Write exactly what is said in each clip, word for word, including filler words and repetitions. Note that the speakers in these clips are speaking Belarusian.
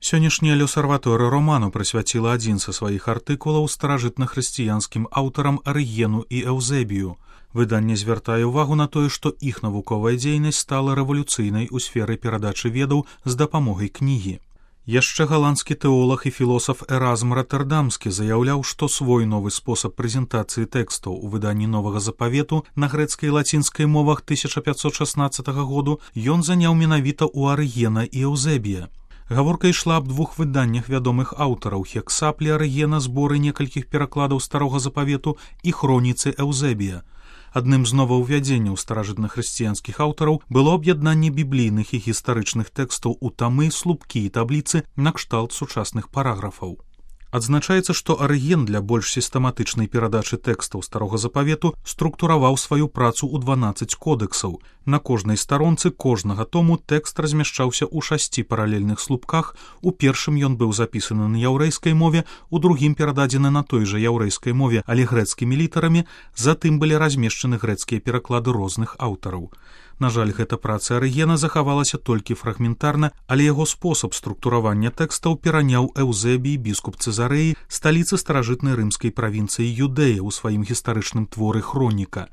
Сённяшняя L'Osservatore Romano прысвяціла адзін са сваіх артыкулаў старажытнахрысціянскім аўтарам Арыгену і Эўзебію. Выданне звяртае ўвагу на тое, што іх навуковая дзейнасць стала рэвалюцыйнай у сферы перадачы ведаў з дапамогай кнігі. Яшчэ галандскі тэолаг і філосаф Эразм Роттердамскі заяўляў, што свой новы спосаб прэзентацыі тэкстаў у выданні Новага Запавету на грэцкай і лацінскай мовах тысяча пятьсот шаснаццатага году ён заняў менавіта ў Арыгена і Эўзебія. Гаворка ішла аб двух выданнях вядомых аўтараў Хексаплі Арыгена, зборы некалькіх перакладаў Старога Запавету і хроніцы Эўзебія. Адным з новаўвядзенняў старажытнахрысціянскіх аўтараў было аб'яднанне біблійных і гістарычных тэкстаў у тамы, слупкі і табліцы накшталт сучасных параграфаў. Адзначаецца, што Арыген для больш сістэматычнай перадачы тэкстаў Старога Запавету структураваў сваю працу ў дванаццаць кодэксаў. На кожнай старонцы кожнага тому тэкст размяшчаўся ў шасці паралельных слупках. У першым ён быў запісаны на яўрэйскай мове, у другім перададзены на той жа яўрэйскай мове, але грэцкімі літарамі, затым былі размешчаны грэцкія пераклады розных аўтараў. На жаль, гэта праца Арыгена захавалася толькі фрагментарна, але яго спосаб структуравання тэкстаў пераняў Эўзебій, біскуп Цэзарэі, сталіцы старажытнай рымскай правінцыі Юдэя ў сваім гістарычным творы «Хроніка».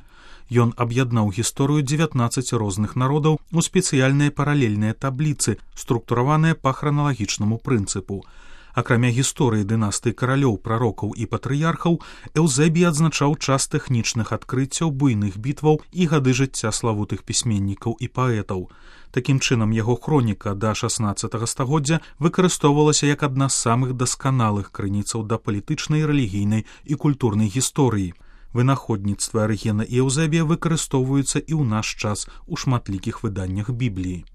Ён аб'яднаў гісторыю дзевятнаццаці розных народаў у спецыяльныя паралельныя табліцы, структураваныя па храналагічнаму прынцыпу. Акрамя гісторыі дынастыі каралёў, прарокаў і патрыярхаў, Эўзебій адзначаў час тэхнічных адкрыццяў, буйных бітваў і гады жыцця славутых пісьменнікаў і паэтаў. Такім чынам, яго хроніка да шаснаццатага стагоддзя выкарыстоўвалася як адна з самых дасканалых крыніцаў да палітычнай, рэлігійнай і культурнай гісторыі. Вынаходніцтвы Арыгена і Эўзебія выкарыстоўваюцца і ў наш час у шматлікіх выданнях Бібліі.